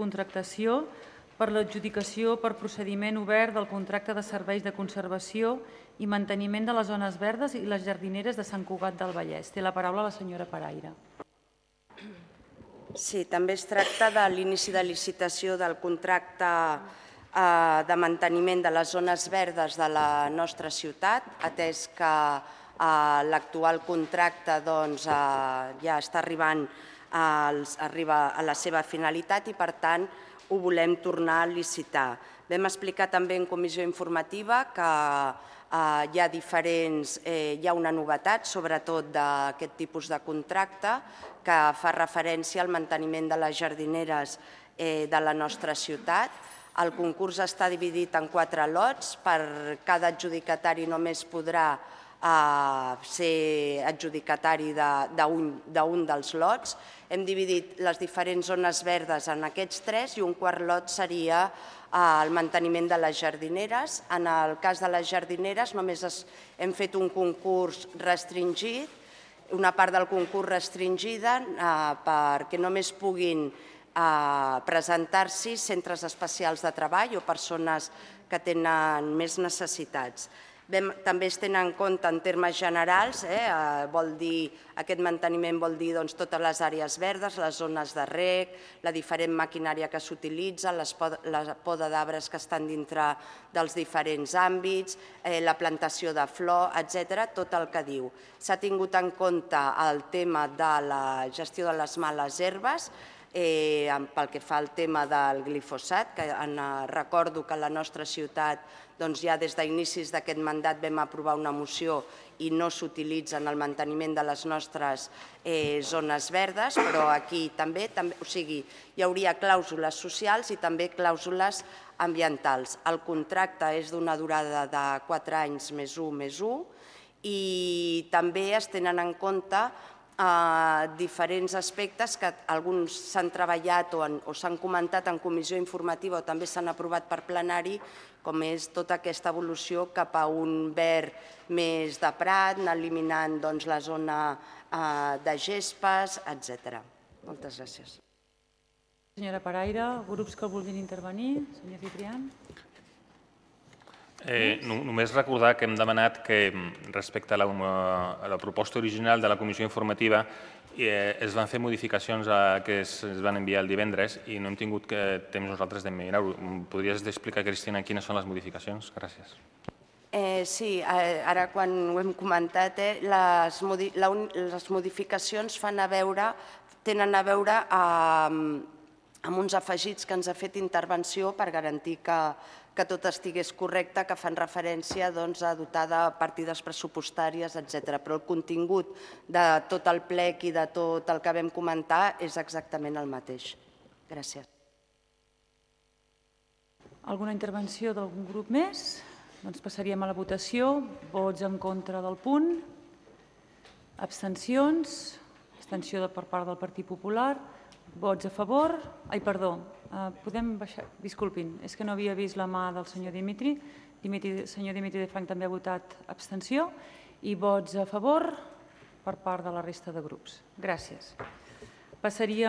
contractació per l'adjudicació per procediment obert del contracte de serveis de conservació i manteniment de les zones verdes i les jardineres de Sant Cugat del Vallès. Té la paraula la senyora Paraire. Sí, també es tracta de l'inici de licitació del contracte de manteniment de les zones verdes de la nostra ciutat, atès que l'actual contracte ja està arribant a la seva finalitat i, per tant, ho volem tornar a licitar. Vam explicar també en comissió informativa que hi ha una novetat, sobretot d'aquest tipus de contracte, que fa referència al manteniment de les jardineres de la nostra ciutat. El concurs està dividit en 4 lots. Per cada adjudicatari només podrà ser adjudicatari d'un dels lots. Hem dividit les diferents zones verdes en aquests 3 i un quart lot seria el manteniment de les jardineres. En el cas de les jardineres només hem fet un concurs restringit, una part del concurs restringida perquè només puguin presentar-s'hi centres especials de treball o persones que tenen més necessitats. També es tenen en compte en termes generals, aquest manteniment vol dir totes les àrees verdes, les zones de reg, la diferent maquinària que s'utilitza, la poda d'arbres que estan dintre dels diferents àmbits, la plantació de flor, etc., tot el que diu. S'ha tingut en compte el tema de la gestió de les males herbes, pel que fa al tema del glifosat, que recordo que a la nostra ciutat ja des d'inicis d'aquest mandat vam aprovar una moció i no s'utilitza en el manteniment de les nostres zones verdes, però aquí també hi hauria clàusules socials i també clàusules ambientals. El contracte és d'una durada de 4 anys més 1 i també es tenen en compte diferents aspectes que alguns s'han treballat o s'han comentat en comissió informativa o també s'han aprovat per plenari, com és tota aquesta evolució cap a un verd més de prat, anar eliminant la zona de gespes, etc. Moltes gràcies. Senyora Paraire, grups que vulguin intervenir? Senyor Ciprián. Només recordar que hem demanat que respecte a la proposta original de la comissió informativa es van fer modificacions que es van enviar el divendres i no hem tingut temps nosaltres de mirar-ho. Podries explicar, Cristina, quines són les modificacions? Gràcies. Sí, ara quan ho hem comentat, les modificacions tenen a veure amb uns afegits que ens ha fet intervenció per garantir que tot estigués correcte, que fan referència a dotar de partides pressupostàries, etc. Però el contingut de tot el plec i de tot el que vam comentar és exactament el mateix. Gràcies. Alguna intervenció d'algun grup més? Doncs passaríem a la votació. Vots en contra del punt. Abstencions. Abstenció per part del Partit Popular. Vots a favor. Ai, perdó. Podem baixar? Disculpin, és que no havia vist la mà del senyor Dimitri. El senyor Dimitri de Franc també ha votat abstenció. I vots a favor per part de la resta de grups. Gràcies. Passaríem